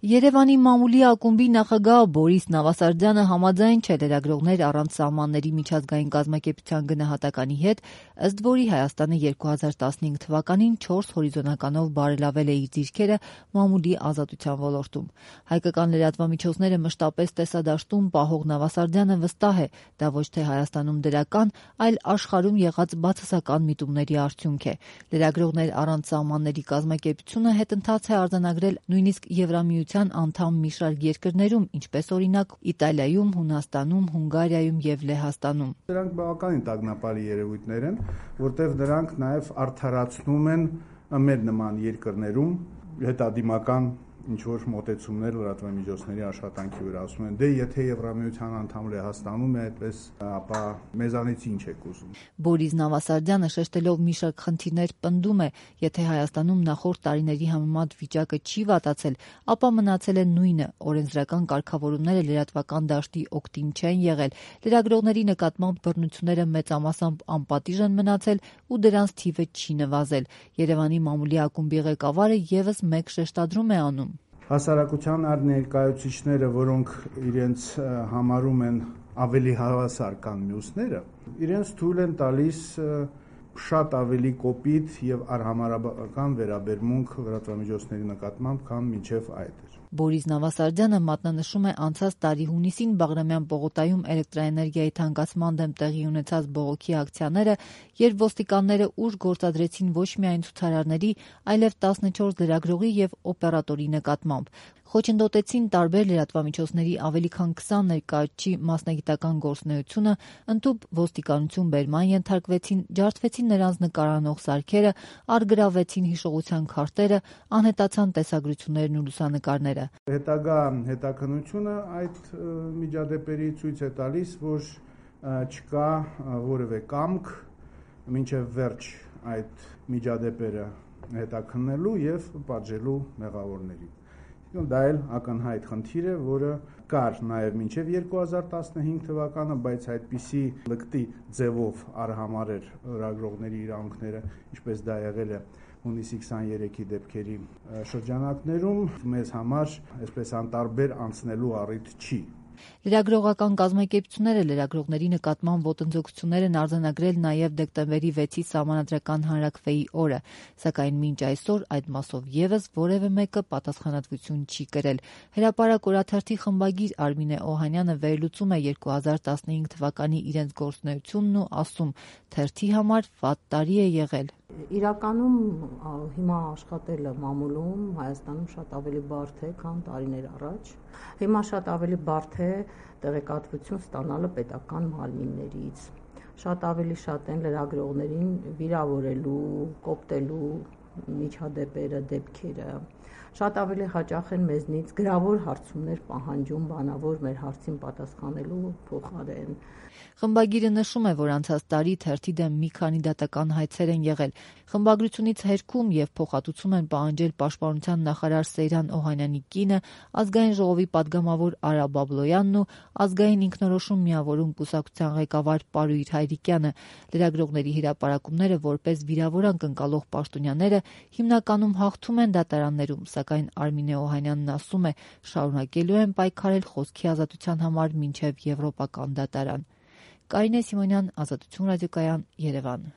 Երևանի մամուլի ակումբի նախագահ Բորիս Նավասարդյանը համաձայն չէ լրագրողներ առանց սահմանների միջազգային կազմակերպության գնահատականի հետ, ըստ որի Հայաստանը 2015 թվականին 4 հորիզոնականով բարելավել է իր դիրքերը մամուլի ազատության ոլորտում։ Հայկական լրատվամիջոցները մշտապես տեսադաշտում պահող Նավասարդյանը վստահ է, դա ոչ թե Հայաստանում դրական, այլ աշխարհում եղած բացասական միտումների արդյունք է։ Լրագրողներ առանց սահմանների կազմակերպությունը հետընթաց է արձանագրել նույնիսկ Եվրամիության անդամ մի շարք երկրներում, ինչպես օրինակ Իտալիայում, Հունաստանում, Հունգարիայում եւ Լեհաստանում։ Դրանք բավականին տագնապալի երևույթներ են, որտեղ դրանք նաեւ արդարացնում են մեր նման երկրներում հետադիմական ինչ-որ մոտեցումներ լրատվամիջոցների աշխատանքի վրա, ասում են, դե եթե Եվրամիության անդամ Լեհաստանում է այդպես, ապա մեզանից ինչ եք ուզում։ Բորիս Նավասարդյանը շեշտելով մի շարք խնդիրներ պնդում է, եթե Հայաստանում նախորդ տարիների համեմատ վիճակը չի վատացել, ապա մնացել է նույնը, օրենսդրական կարգավորումները լրատվական դաշտի օգտին չեն եղել, լրագրողների նկատմամբ բռնությունները մեծամասամբ անպատիժ են մնացել ու դրանց թիվը չի նվազել։ Երևանի մամուլի ակումբի ղեկավարը եւս մեկ շեշտադրում է անում. Հասարակության այլ ներկայացուցիչները, որոնք իրենց համարում են ավելի հավասար կան մյուսները, իրենց թույլ են տալիս շատ ավելի կոպիտ եւ արհամարհական վերաբերմունք լրատվամիջոցների նկատմամբ, քան մինչեւ այդ էր։ Բորիս Նավասարդյանը մատնանշում է անցած տարի հունիսին Բաղրամյան պողոտայում էլեկտրաէներգիայի թանկացման դեմ տեղի ունեցած բողոքի ակցիաները, երբ ոստիկանները ուժ գործադրեցին ոչ միայն ցուցարարների, այլև 14 լրագրողի եւ օպերատորի նկատմամբ։ Խոչընդոտեցին տարբեր լրատվամիջոցների ավելի քան 20 ներկայացուցչի մասնագիտական գործունեությունը, ընդཐུպ ոստիկանություն բերման ենթարկվեցին, ջարդվեցին նրանց նկարանող սարքերը, առգրավվեցին հիշողության քարտերը, անհետացան տեսագրություններն ու լուսանկարները։ Հետագա հետաքննությունը այդ միջադեպերի ցույց է տալիս, որ չկա որևէ կամք մինչև վերջ այդ միջադեպերը հետաքննելու եւ պատժելու մեղավորներին։ Դա էլ ակնհայտ խնդիր է, որը կար նաև մինչև 2015 թվականը, բայց այդպիսի լկտի ձևով արհամարհեր լրագրողների իրավունքները, ինչպես դա եղել է հունիսի 23-ի դեպքերի շրջանակներում, մեզ համար այսպես անտարբեր անցնելու առիթ չի։ Լրագրողական կազմակերպությունները լրագրողների նկատմամբ ոտնձգություններ են արձանագրել նաև դեկտեմբերի 6-ի Սահմանադրական հանրաքվեի օրը, սակայն մինչ այսօր այդ մասով եւս որևէ մեկը պատասխանատվություն չի կրել։ Հրապարակ օրաթերթի խմբագիր Արմինե Օհանյանը վերլուծում է 2015 թվականի իրենց գործունեությունն ու ասում. թերթի համար վատ տարի է եղել։ Իրականում հիմա աշխատելը մամուլում Հայաստանում շատ ավելի բարդ է, քան տարիներ առաջ։ Հիմա շատ ավելի բարդ է տեղեկատվություն ստանալը պետական մարմիններից։ Շատ ավելի շատ են լրագրողներին վիրավորելու, կոպտելու միջադեպերը, դեպքերը։ Շատ ավելի հաճախ են մեզնից գրավոր հարցումներ պահանջում բանավոր մեր հարցին պատասխանելու փոխարեն։ Խմբագիրը նշում է, որ անցած տարի թերթի դեմ մի քանի դատական հայցեր են եղել։ Խմբագրությունից հերքում եւ փոխհատուցում են պահանջել Պաշտպանության նախարար Սեյրան Օհանյանի կինը, Ազգային ժողովի պատգամավոր Արա Բաբլոյանն ու Ազգային ինքնորոշում միավորում կուսակցության ղեկավար Պարույր Հայրիկյանը։ Լրագրողների հրապարակումները որպես վիրավորանք ընկալող պաշտոնյաները հիմնականում հաղթում են դատարաններում, սակայն Արմինե Օհանյանն ասում է, շարունակելու են պայքարել խոսքի ազատության համար մինչև եվրոպական դատարան։ Կարինե Սիմոնյան, Ազատություն ռադիոկայան, Երևան։